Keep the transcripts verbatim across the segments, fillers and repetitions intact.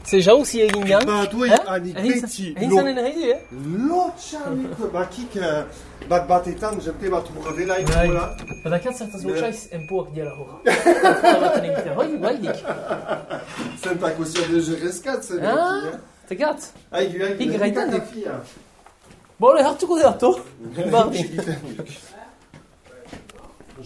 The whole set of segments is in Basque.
C'est jauzi egin gan? Ba, due Eh? anik Egin beti. egin zanen erredi, eh? Lotxanik, bakik bat batetan, jente bat urrela Bai. ikola. Badakat zertaz lotxaiz enpoak diala horra. Horra baten egitea, hoi, bai dik. Zentako zio de jerezkat, zen. Ah, tegat. Aigu, aigu. Ik gaitan duk. Bole, hartuko de hartu. Bardi.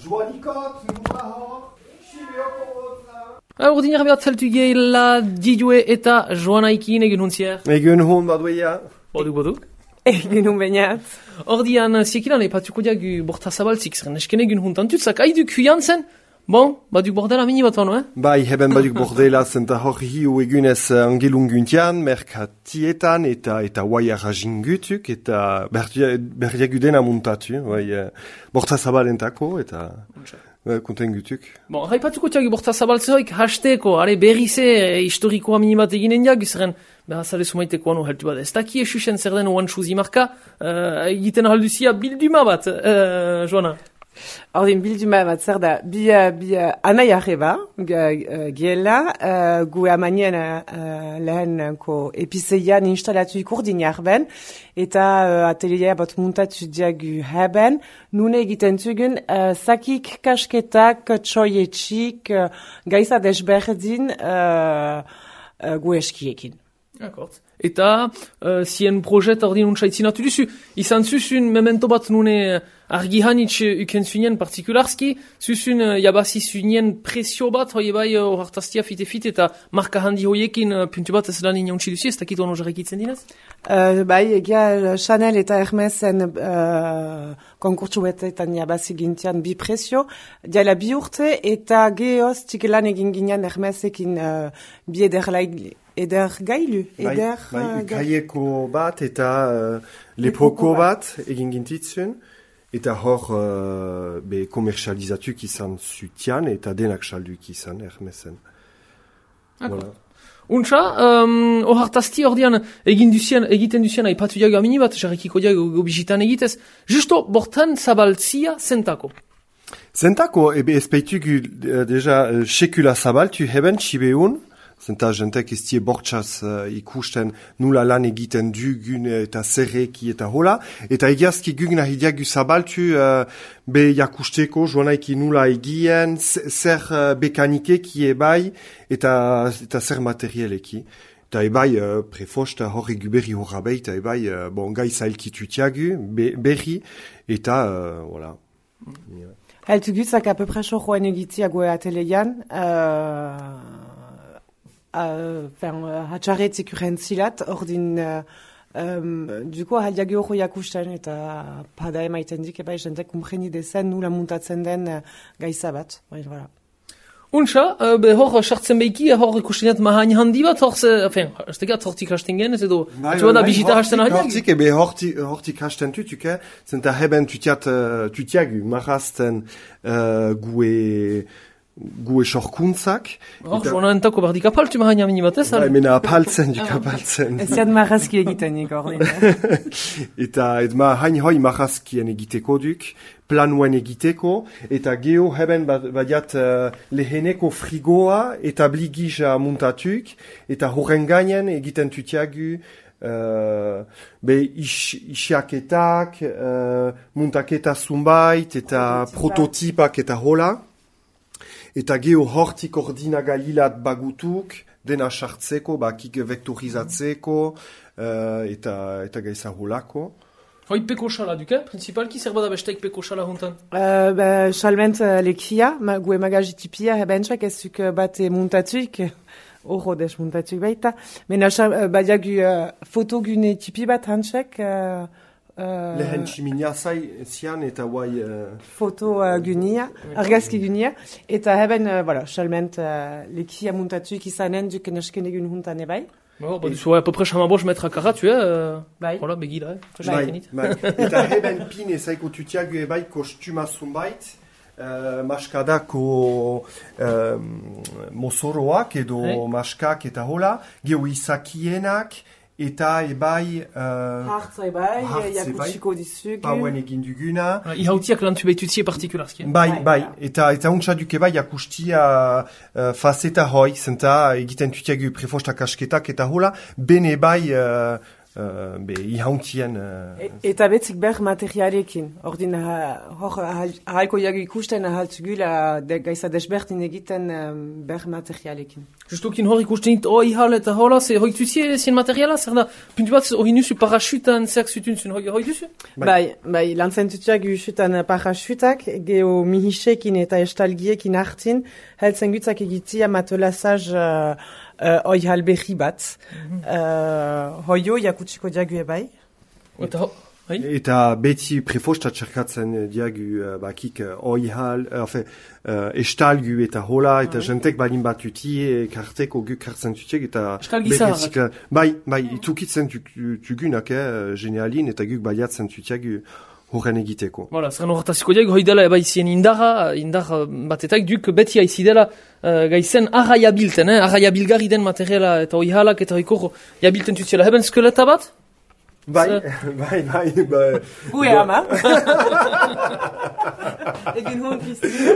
Joanikot, nura hor, xibeoko hotra. Ordiniar behar zeltu gehiela Didue eta Joanaikin egin huntzier. Egun hon baduia. Boduk, boduk. Egin un bainat. Ordian, ziekilan epatuko diagu borta zabaltzik zeren esken egin huntan tutzak haiduk huian zen. Bon, baduk bordela mini bat bano, eh? Bai, heben baduk bordela zenta hor hiu egunez angelunguntian, merkatietan eta eta waiara jingutuk eta berdiagudena muntatu, bai, borta zabalentako eta konten gutuk. Bon, haipatuko diagu borta zabaltzehoik hasteko, are berrize e, historikoa mini bat eginen diagu zeren behar zale sumaiteko anu heltu bat. Ez daki esusen zer den oan chuzi marka, uh, egiten halduzia bilduma bat, uh, Joana. Ordin bilduma bat zer da, bi, bi anai arreba, giela, uh, gu amanien uh, lehenko epizeian instalatu ikurdin jarben, eta uh, atelier bat muntatu diagu haben, nune egiten zugen, uh, zakik, kasketak, txoietxik, uh, gaiza desberdin uh, uh, gu eskiekin. Akort. Eta uh, zien projet ordin untsaitzinatu duzu. Izan zuzun memento bat nune argi hanitz uken zunien partikularski, zuzun uh, jabazi zunien presio bat, hoi bai hor hartaztia fite-fite eta marka handi hoiekin uh, puntu bat ez lan inauntzi duzu, ez dakit ono jarrekitzen dinez? Uh, bai, egia Chanel eta Hermesen uh, konkurtsu betetan jabazi gintian bi presio, diala bi urte eta geoz txikelan egin ginean Hermesekin uh, bi ederlaik eder gailu, eder Bai, uh, ukaieko bat eta uh, lepoko bat egin gintitzun, eta hor uh, be komersializatuk izan zutian eta denak salduk izan Hermesen. Voilà. Untsa, um, hor hartazti ordian egin duzien, egiten duzien aipatu diago amini bat, jarrekiko diago gobizitan egitez, justo bortan zabaltzia zentako. Zentako, ebe ezpeitugu uh, deja uh, sekula zabaltu heben txibeun, zenta jentek ez tie bortxaz uh, ikusten nula lan egiten dugun eta zerreki eta hola. Eta egiazki guk nahi diagu zabaltu uh, be jakusteko joanaiki nula egien, zer uh, bekanikeki ebai eta, eta zer materialeki. Eta ebai uh, prefosta hor egu berri horra behi, eta ebai uh, bon, gai zailkitu tiagu be, berri eta uh, voilà. Yeah. Heltu gutzak a peu près joan egitia goe ateleian, uh, Uh, uh, hatxarretzik urentzilat, ordin, uh, um, duko haliagi hori jakusten eta pada emaiten dik, eba jentek umpreni dezen nula muntatzen den uh, gaiza bat. Bai, voilà. Untsa, uh, be hor sartzen behiki, hor ikustenet mahain handi bat, hor ze, enfin, ez tegat hortik hasten gen, ez edo, txua da bizita hasten ahal. Hortik, ebe hortik hasten tutuke, zenta heben tutiat, uh, tutiagu, marazten uh, gue... gue sorkuntzak. Hor, joan entako bardik apaltu mahain amini bat ez? Bai, mena apaltzen, dik apaltzen. Ez ziad marazki egiten nik ordin. Eta et mahain hoi marazkien egiteko duk, planuen egiteko, eta geho heben badiat uh, leheneko frigoa eta bligija muntatuk, eta horren gainen egiten tutiagu Uh, be is, isiaketak, uh, muntaketa zumbait, eta prototipak eta hola. Eta geho hortik ordinagailat bagutuk, dena sartzeko, bakik vektorizatzeko, uh, eta, eta gaiza holako. Hoi peko xala duke, principalki zer bada besteik peko xala hontan? Uh, ba, xalment uh, lekia, ma, gue magajitipia hebentzak ezuk bate muntatuik, horro des muntatuik baita. Mena uh, badiagu uh, fotogune tipi bat hantzak, uh, Uh, Lehen tximinia zai zian eta guai... Uh... Foto uh, gunia, argazki gunia, eta heben, uh, voilà, xalment, uh, lekia muntatuik izanen duken esken egun huntan ebai. Bon, ba, duzu, à peu près chamaboz metra karatu, eh? Uh, bai. Voilà, begira, eh? Bai, bai. Eta heben pin ezaiko tutiagu ebai kostuma zumbait, uh, maskadako um, mozoroak edo hey. Maskak eta hola, geho izakienak, eta ebai... Uh, Hartza ebai, hartz jakutsiko dizugu. Pauen egin duguna. Uh, Ihautiak lantu behitutzie partikularski. Bai, bai, eta eta untsa duk ebai jakustia uh, faceta hoi, zenta egiten tutiagu prefostak asketak eta hola, bene bai... Uh, Uh, be, ihauntien... Uh, e, eta betzik ber materialekin. Ordin, hor, ahalko jagu ikusten ahaltzugula de, gaiza desbertin egiten um, ber materialekin. Justukin hor ikusten dit, oh, ihal eta hola, ze hoi tuzie zien materiala, zer da, puntu bat, hori nusu parachutan zerk zutun zun, hoi duzu? Bai, bai, lantzen tutuak usutan parachutak, geho mihisekin eta estalgiekin hartin, heltzen gutzak egitia matolasaz... Uh, Uh, oi halberri bat. Mm-hmm. uh, hoio jakutsiko diagu ebai. Eta, hai? Eta beti prefostat txerkatzen diagu uh, bakik uh, oi hal, uh, enfin, uh, estalgu eta hola, eta ah, jentek balin bat uti, karteko guk hartzen tutiek, eta... Estalgizarrak. Bai, bai, itukitzen tugunak, eh, genialin, eta guk baliatzen tutiagu horren egiteko. Voilà, zeren horretaziko diag, hoi dela eba izien indarra, indar batetak duk beti haizi dela uh, gaizen arraia bilten, eh? Arraia bilgarri den materiala eta hoi halak eta hoi korro jabilten tutziela. Heben skeleta bat? Bai, bai, bai, bai. Gue ama. Egin hon Kristina.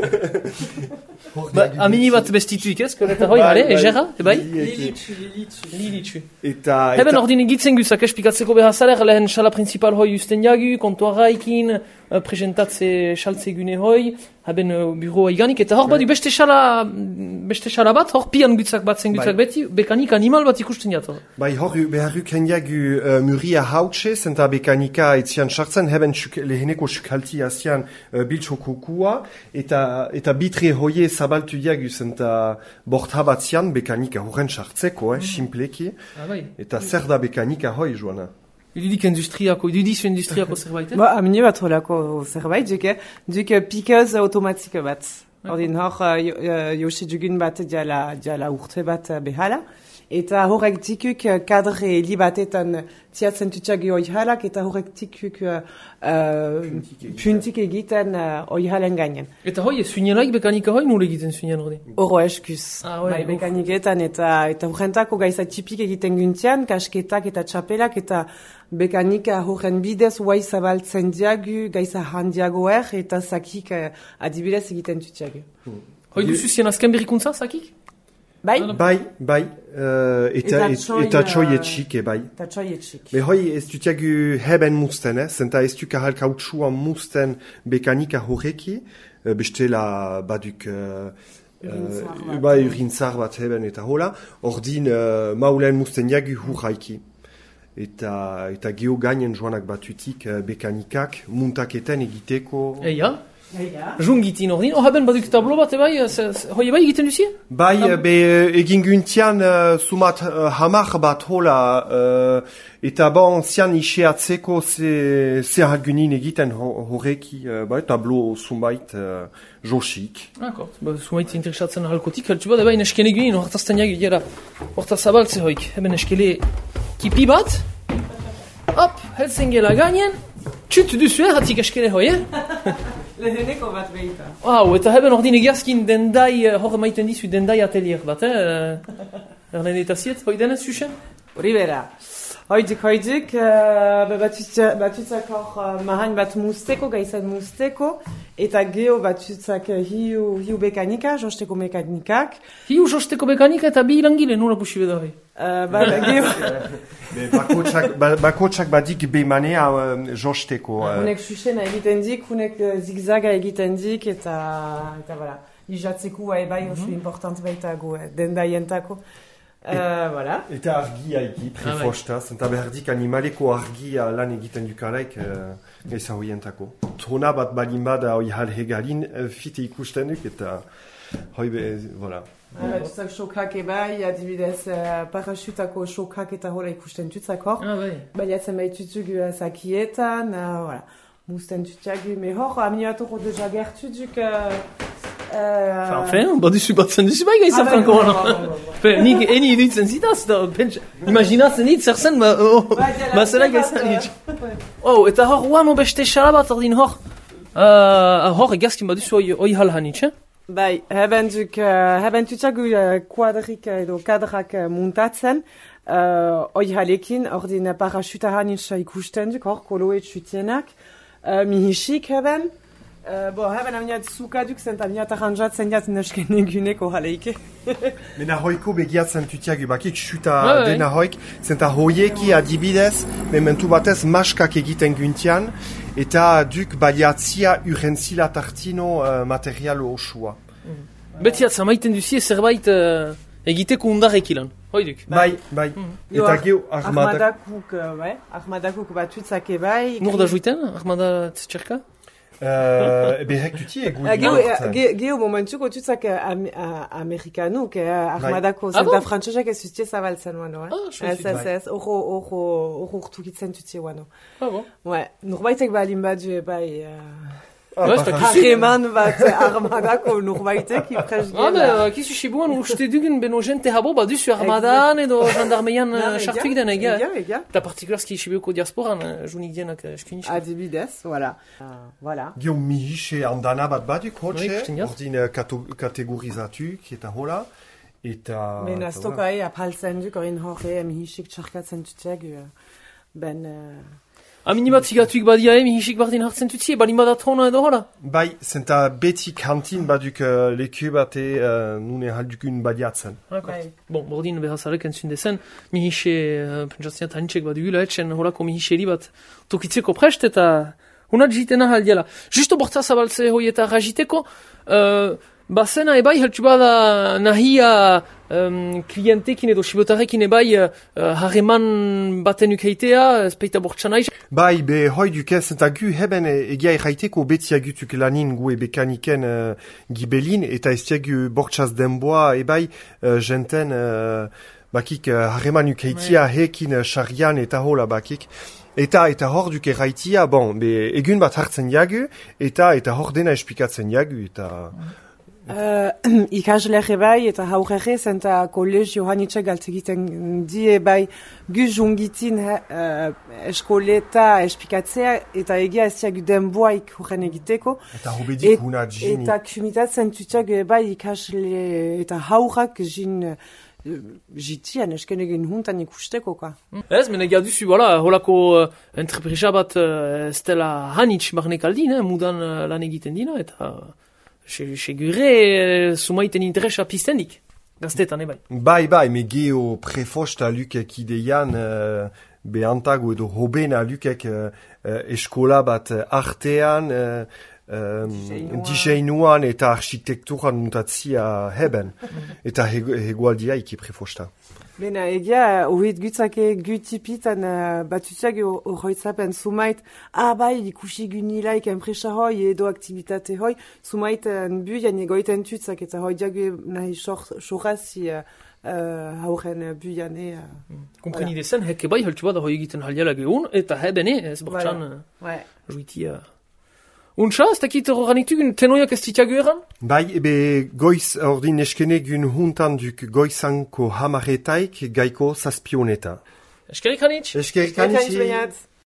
Amini bat bestituik, ez? Skeleta hoi, bale, egera, ebai? Lilitsu, lilitsu. Lilitsu. Eta... Heben ordin egitzen guzak espikatzeko behar zaler, lehen sala principal hoi usten jagu, kontuarraikin, presentatze saltze gune hoi, haben uh, bureau iganik, eta hor badu beste sala, beste sala bat, hor pian gutzak bat zen gutzak beti, bekanik animal bat ikusten jat. Bai, hor beharruk hendiagu uh, muria hautse, zenta bekanika etzian sartzen, heben leheneko sukalti azian uh, biltxoko kua, eta, eta bitre hoie zabaltu diagu, zenta bortabatzian bekanika horren sartzeko, eh, simpleki, ah, bai. Eta zer da bekanika hoi, Joana? Idudik industriako, idudizu industriako zerbait, eh? Ba, amine bat holako zerbait, duke, duke pikaz automatik bat. Ordin hor, uh, josi dugun bat diala, diala urte bat behala. Eta horrek tikuk kadre li batetan tiatzen tutxagi hoi halak, eta horrek tikuk uh, puntik egiten uh, hoi halen gainen. Eta hoi, suinelaik bekanika hoi nule egiten suinen hori? Oro eskuz. Ah, ouais, bai, bekaniketan eta eta horrentako gaiza tipik egiten guntian, kasketak eta txapelak, eta bekanika horren bidez huai zabaltzen diagu, gaiza handiago er, eta zakik uh, adibidez egiten tutxagi. Hmm. Hoi duzu zien azken berrikuntza, zakik? Bai? Bai, bai, uh, eta, eta txoi etxik, e bai. Eta txoi etxik. Me hoi ez dutiagu heben musten, eh? Zenta ez duk ahal kautsuan musten bekanika horreki, uh, bestela baduk... Uh, uh, bai, urintzar bat heben eta hola, ordin uh, maulen musten jagu hurraiki. Eta, eta geho gainen joanak batutik uh, bekanikak, muntaketen egiteko... Eia? Eia? Jungitin ordin, oh haben baduk tablo bat ebai, hoi ebai egiten duzie? Bai, be egin guntian uh, sumat uh, hamar bat hola, uh, eta bon zian iseatzeko ze, ze halgunin egiten horreki, uh, bai, tablo sumait uh, josik. Akort, ba, sumait interesatzen halkotik, haltsu bat, ebai neskene gunin, hortazten jagi gira, horta zabaltze hoik, eben neskele kipi bat, hop, helzen gela gainen, txut duzu, eh, hatik eskele hoi, eh? Leheneko bat behita. Wow, eta heben ordin egiazkin dendai, hor maiten dizu dendai atelier bat, eh? Erlen eta ziet, hoi denez zuzen? Hori bera. Hoidik, hoidik, uh, batutzak hor uh, mahain bat musteko, gaizan musteko, eta geho batutzak uh, hiu, hiu bekanika, josteko mekanikak. Hiu josteko mekanika eta bi langile, nula pusi beda hoi? Uh, ba, geho... Bakotsak ba, bakotsak badik bemanea uh, josteko. Uh. Hunek susena egiten dik, hunek uh, zigzaga egiten dik, eta, eta voilà. Ijatzeko ebai oso mm-hmm. important baita gu, eh, dendaientako. Uh, voilà. Eta argia egi, prefostaz, eta behardik animaleko argia lan egiten dukalaik uh, gaisa hoientako. Trona bat balin bada hoi hal hegalin, uh, fite ikusten duk, eta hoi be, voilà. Batutzak xokak ebai, adibidez uh, parachutako xokak eta hola ikusten tutzak hor. Ah, bai. Baliatzen baitutuk uh, zakietan, uh, voilà. Musten tutxagu, me hor, aminiatoko deja gertutuk... Uh, Uh... Enfin, baduzu batzen duzu bai gaizat ah, franko. Nik eni iduitzen zitaz, da, imaginatzen dit, zer zen, ba, oh, ba zela gaizan dit. Oh, eta hor, uano beste xalabat ordin hor, uh, hor egazkin baduzu oi halhan itx, eh? Bai, hebben duk, uh, hebben tutxagu uh, kuadrik edo kadrak uh, muntatzen, uh, oi halekin, ordin parachutaran itxa ikusten duk, hor, koloet zutienak, uh, mihisik heben, uh, bo, heben amniat zukaduk, zent amniat arranjatzen jat nesken eguneko haleike. Mena hoiko begiatzen tutiak bakik, xuta Ouais, ouais. dena hoik, zenta hoieki adibidez, mementu batez maskak egiten guntian, eta duk baliatzia urrentzila tartino uh, material osua. Beti atza maiten duzie zerbait uh, egiteko undarek ilan. Hoiduk. Bai, bai. Jo, Eta geu armadak... Armadakuk, uh, bai, armadakuk batutzak ebai. Nur da juiten, Armada Tcherka? Uh, ebe hek tuti egu... Uh, Geo, uh, ge- geo momentuko tutzak uh, am, uh, amerikanuk, uh, armadako, Ah zenta bon? frantzozak ez zutie zabaltzen wano, eh? Ah, je Ez, suis ez, ez, orro, orro, orro urtukitzen tutie wano. Ah bon. Ouais, norbaitek balin badu ebai... Uh, Ah, Ouais, c'est parachute. Harreman bat armadako norbaitek ipres Ah, gela. be, kizu sibuan uste dugun beno jente habo baduzu armadan edo jandarmeian uh, sartuik den egia. Ega, ega. Eta partikularski sibuko diasporan, uh, junik dienak uh, eskuiniz. Adibidez, voilà. Uh, voilà. Geu mihixe andana bat baduk, Bai, hotxe, ikusten jaz. ordin uh, kato- kategorizatuk, eta hola, eta... Ben eta astoka e apaltzen duk orin horre emihisik txarkatzen tuteak uh, ben... Uh, Aminibat zigatuik badia emi hisik bardin hartzen tutzie, balin badatrona edo hola. Bai, zenta beti kantin baduk uh, leku bate uh, nune haldukun badiatzen. bai. Bon, bordin behazarek entzun dezen, mi hise, uh, pentsatzen tanitxek badugula etxen holako mi hiseri bat tokitzeko prest eta hunat jitena haldiala. Justo bortza zabaltze hoi eta rajiteko, uh, bazena ebai heltsu bada nahia um, klientekin edo sibotarekin ebai uh, harreman baten ukeitea, espeita bortza naiz. Bai, be hoi duke, zenta gu heben e- egia erraiteko beti agutuk lanin gu ebe kaniken uh, gibelin, eta ez tiagu bortxaz denboa ebai uh, jenten uh, bakik uh, harreman ukeitia hekin uh, xarian eta hola bakik. Eta eta hor duke erraitia, bon, be egun bat hartzen jagu, eta eta hor dena esplikatzen jagu, eta... Uh, ikasleak ebai eta haurrege zenta kolegio hanitxek galtzegiten die bai guz ungitin uh, eskoleta espikatzea eta egia ez diagu denboaik horren egiteko. Eta hobedik Et- huna jini. Eta kumitatzen tutak ebai ikasle eta haurrak jin uh, jitian esken egin huntan ikusteko ka. Ez, mena egia duzu, voilà, holako uh, entrepresa bat uh, ez dela hanitz barnek aldin, eh, mudan uh, lan egiten dina, eta se- segure uh, sumaiten interesa piztendik. Gaztetan, ebai. Bai, bai, me geo prefosta lukek ideian uh, behantago edo hobena lukek uh, uh, eskola bat uh, artean, uh, um, Diseinuan. diseinuan eta architekturan muntatzia heben. Eta heg- hegoaldia iki prefosta. Bena, egia, horret gutzake gutipitan uh, batutiak horretzapen sumait, ah bai, ikusi gunilaik enpresa hoi edo aktivitate hoi, sumait buian egoiten tutzak eta hoi diagu nahi sorrazi uh, uh, hauren buian e... Uh, Kompreni dezen, hek ebai heltsu bada hoi egiten haldiala geun, eta hebene, ez bortxan Voilà. ouais. uh, juitia. Untxa, ez dakit horranitugun tenoiak ez titiago eran? Bai, ebe goiz ordin eskene gun huntan duk goizanko hamaretaik gaiko zazpioneta. Eskerik hanitz? Eskerik Ekain anitzi. zbeiat.